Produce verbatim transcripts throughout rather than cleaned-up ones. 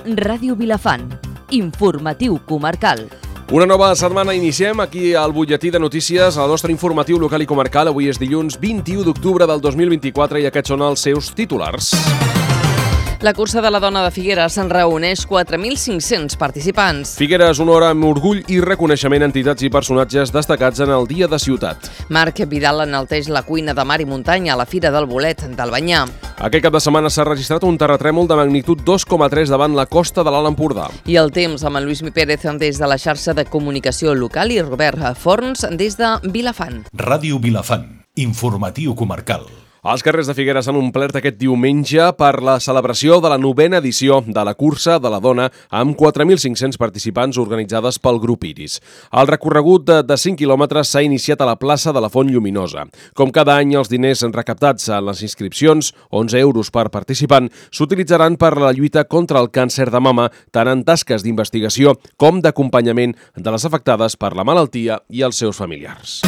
Ràdio Vilafant. Informatiu comarcal. Una nova setmana iniciem aquí al butlletí de notícies, al nostre informatiu local i comarcal. Avui és dilluns vint-i-u d'octubre del dos mil vint-i-quatre i aquests són els seus titulars. La cursa de la dona de Figueres se'n reuneix quatre mil cinc-cents participants. Figueres honora amb orgull i reconeixement entitats i personatges destacats en el Dia de Ciutat. Marc Vidal enalteix la cuina de mar i muntanya a la Fira del Bolet d'Albanyà. Aquest cap de setmana s'ha registrat un terratrèmol de magnitud dos coma tres davant la costa de l'Alt Empordà. I el temps amb en Lluís Mi Pérez des de la xarxa de comunicació local i Robert Forns des de Vilafant. Ràdio Vilafant. Informatiu comarcal. Els carrers de Figueres s'han omplert aquest diumenge per la celebració de la novena edició de la cursa de la dona amb quatre mil cinc-cents participants organitzades pel grup Iris. El recorregut de, de cinc quilòmetres s'ha iniciat a la plaça de la Font Lluminosa. Com cada any, els diners recaptats en les inscripcions, onze euros per participant, s'utilitzaran per la lluita contra el càncer de mama, tant en tasques d'investigació com d'acompanyament de les afectades per la malaltia i els seus familiars.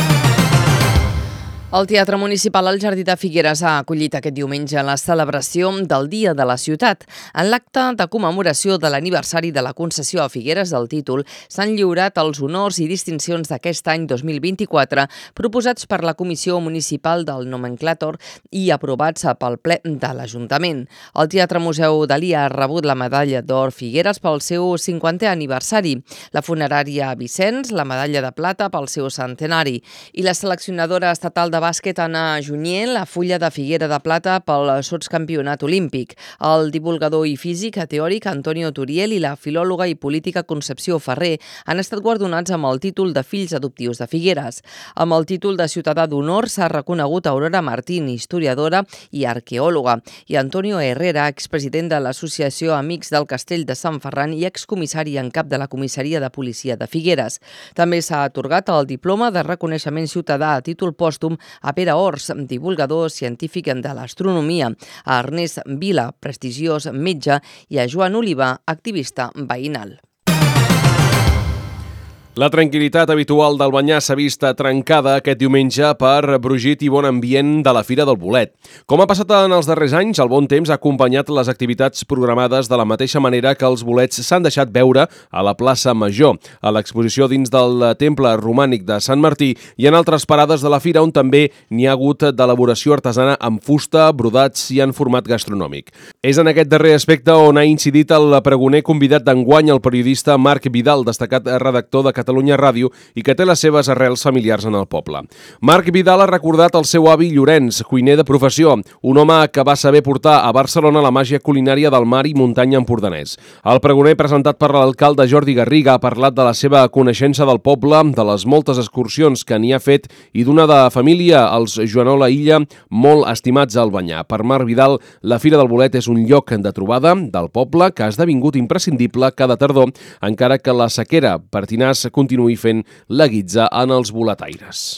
El Teatre Municipal al Jardí de Figueres ha acollit aquest diumenge la celebració del Dia de la Ciutat. En l'acte de commemoració de l'aniversari de la concessió a Figueres del títol s'han lliurat els honors i distincions d'aquest any dos mil vint-i-quatre proposats per la Comissió Municipal del Nomenclàtor i aprovats pel ple de l'Ajuntament. El Teatre Museu Dalí ha rebut la medalla d'or Figueres pel seu cinquantè aniversari, la funerària Vicenç la medalla de plata pel seu centenari i la seleccionadora estatal de de bàsquet Anna Junyer, la fulla de Figuera de plata pel sotscampionat olímpic. El divulgador i físic teòric Antonio Turiel i la filòloga i política Concepció Ferrer han estat guardonats amb el títol de Fills Adoptius de Figueres. Amb el títol de Ciutadà d'Honor s'ha reconegut Aurora Martín, historiadora i arqueòloga, i Antonio Herrera, expresident de l'Associació Amics del Castell de Sant Ferran i excomissari en cap de la Comissaria de Policia de Figueres. També s'ha atorgat el diploma de reconeixement ciutadà a títol pòstum a Pere Ors, divulgador científic de l'astronomia, a Ernest Vila, prestigiós metge, i a Joan Oliva, activista veïnal. La tranquil·litat habitual d'Albanyà s'ha vist trencada aquest diumenge per brogit i bon ambient de la Fira del Bolet. Com ha passat en els darrers anys, el bon temps ha acompanyat les activitats programades de la mateixa manera que els bolets s'han deixat veure a la plaça Major, a l'exposició dins del temple romànic de Sant Martí i en altres parades de la Fira on també n'hi ha hagut d'elaboració artesana amb fusta, brodats i en format gastronòmic. És en aquest darrer aspecte on ha incidit el pregoner convidat d'enguany, el periodista Marc Vidal, destacat redactor de Catalunya Ràdio i que té les seves arrels familiars en el poble. Marc Vidal ha recordat el seu avi Llorenç, cuiner de professió, un home que va saber portar a Barcelona la màgia culinària del mar i muntanya empordanès. El pregoner, presentat per l'alcalde Jordi Garriga, ha parlat de la seva coneixença del poble, de les moltes excursions que n'hi ha fet i d'una de família, els Joanola Illa, molt estimats a Albanyà. Per Marc Vidal, la Fira del Bolet és un lloc de trobada del poble que ha esdevingut imprescindible cada tardor, encara que la sequera pertinaç continuï fent la guitza en els boletaires.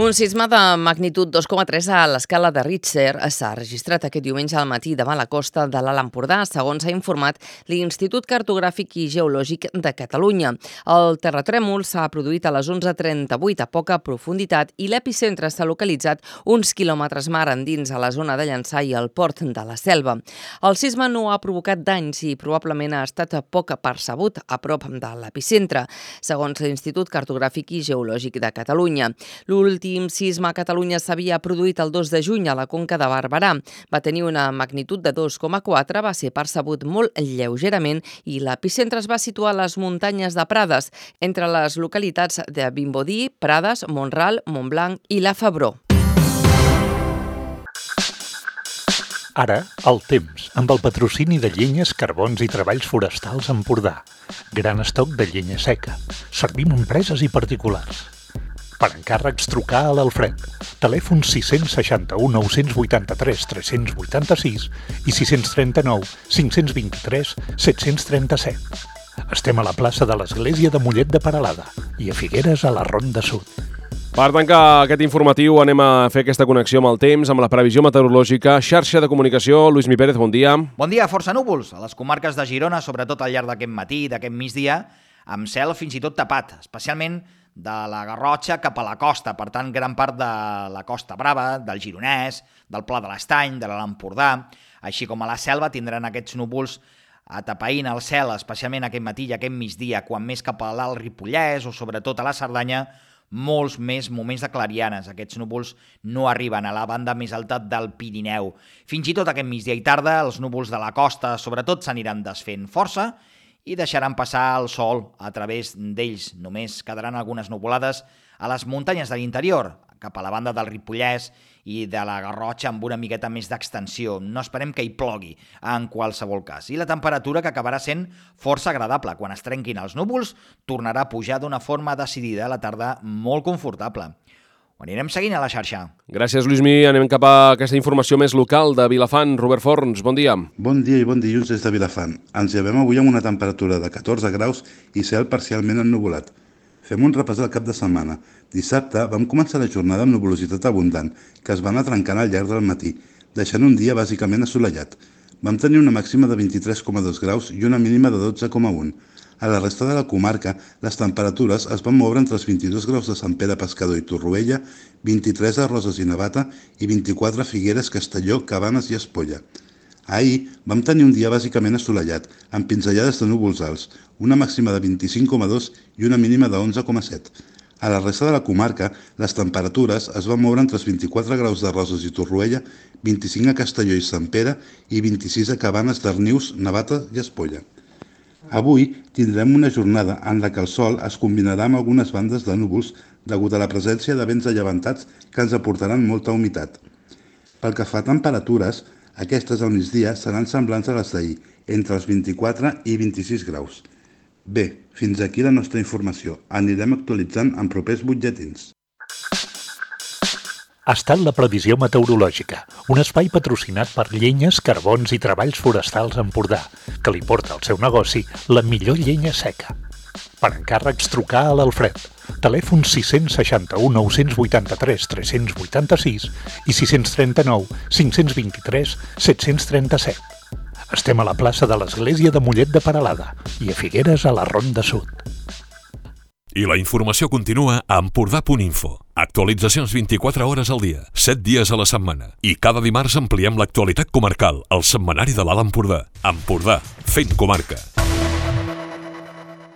Un sisme de magnitud dos coma tres a l'escala de Richter s'ha registrat aquest diumenge al matí davant la costa de l'Alt Empordà, segons ha informat l'Institut Cartogràfic i Geològic de Catalunya. El terratrèmol s'ha produït a les onze trenta-vuit a poca profunditat i l'epicentre s'ha localitzat uns quilòmetres mar endins a la zona de Llançà i al port de la Selva. El sisme no ha provocat danys i probablement ha estat poc percebut a prop de l'epicentre, segons l'Institut Cartogràfic i Geològic de Catalunya. L'últim L'últim sisme a Catalunya s'havia produït el dos de juny a la Conca de Barberà. Va tenir una magnitud de dos coma quatre, va ser percebut molt lleugerament i l'epicentre es va situar a les muntanyes de Prades, entre les localitats de Vimbodí, Prades, Montral, Montblanc i la Febró. Ara, el temps, amb el patrocini de Llenyes, Carbons i Treballs Forestals Empordà. Gran estoc de llenya seca. Servim empreses i particulars. Per encàrrecs, trucar a l'Alfred. Telèfon sis sis u, nou vuit tres, tres vuit sis i sis tres nou, cinc dos tres, set tres set. Estem a la plaça de l'Església de Mollet de Peralada i a Figueres a la Ronda Sud. Per tancar aquest informatiu anem a fer aquesta connexió amb el temps, amb la previsió meteorològica. Xarxa de comunicació, Lluís Mi Pérez, bon dia. Bon dia, força núvols a les comarques de Girona, sobretot al llarg d'aquest matí i d'aquest migdia, amb cel fins i tot tapat, especialment de la Garrotxa cap a la costa, per tant, gran part de la Costa Brava, del Gironès, del Pla de l'Estany, de l'Alt Empordà. Així com a la Selva tindran aquests núvols atapeint el cel, especialment aquest matí i aquest migdia, quan més cap a l'Alt Ripollès o sobretot a la Cerdanya, molts més moments de clarianes. Aquests núvols no arriben a la banda més alta del Pirineu. Fins i tot aquest migdia i tarda, els núvols de la costa sobretot s'aniran desfent força i deixaran passar el sol a través d'ells. Només quedaran algunes nuvolades a les muntanyes de l'interior, cap a la banda del Ripollès i de la Garrotxa amb una miqueta més d'extensió. No esperem que hi plogui en qualsevol cas. I la temperatura, que acabarà sent força agradable. Quan es trenquin els núvols, tornarà a pujar d'una forma decidida a la tarda molt confortable. Ho anirem seguint a la xarxa. Gràcies, Lluïsmi. Anem cap a aquesta informació més local de Vilafant. Robert Forns, bon dia. Bon dia i bon dilluns des de Vilafant. Ens llevem avui amb una temperatura de catorze graus i cel parcialment ennuvolat. Fem un repàs del cap de setmana. Dissabte vam començar la jornada amb nuvolositat abundant, que es va anar trencant al llarg del matí, deixant un dia bàsicament assolellat. Vam tenir una màxima de vint-i-tres coma dos graus i una mínima de dotze coma un. A la resta de la comarca, les temperatures es van moure entre els vint-i-dos graus de Sant Pere Pescador i Torroella, vint-i-tres a Roses i Navata i vint-i-quatre a Figueres, Castelló, Cabanes i Espolla. Ahir vam tenir un dia bàsicament assolellat, amb pinzellades de núvols alts, una màxima de vint-i-cinc coma dos i una mínima de onze coma set. A la resta de la comarca, les temperatures es van moure entre els vint-i-quatre graus de Roses i Torroella, vint-i-cinc a Castelló i Sant Pere i vint-i-sis a Cabanes, Darnius, Navata i Espolla. Avui tindrem una jornada en la que el sol es combinarà amb algunes bandes de núvols degut a la presència de vents allevantats que ens aportaran molta humitat. Pel que fa a temperatures, aquestes al migdia seran semblants a les d'ahir, entre els vint-i-quatre i vint-i-sis graus. Bé, fins aquí la nostra informació. Anirem actualitzant en propers butlletins. Ha estat la previsió meteorològica, un espai patrocinat per Llenyes, Carbons i Treballs Forestals Empordà, que li porta al seu negoci la millor llenya seca. Per encàrrecs, trucar a l'Alfred. Telèfon sis sis u, nou vuit tres, tres vuit sis i sis tres nou, cinc dos tres, set tres set. Estem a la plaça de l'Església de Mollet de Peralada i a Figueres a la Ronda Sud. I la informació continua a empordà punt info. Actualitzacions vint-i-quatre hores al dia, set dies a la setmana. I cada dimarts ampliem l'actualitat comarcal, al setmanari de l'Alt Empordà. Empordà, fent comarca.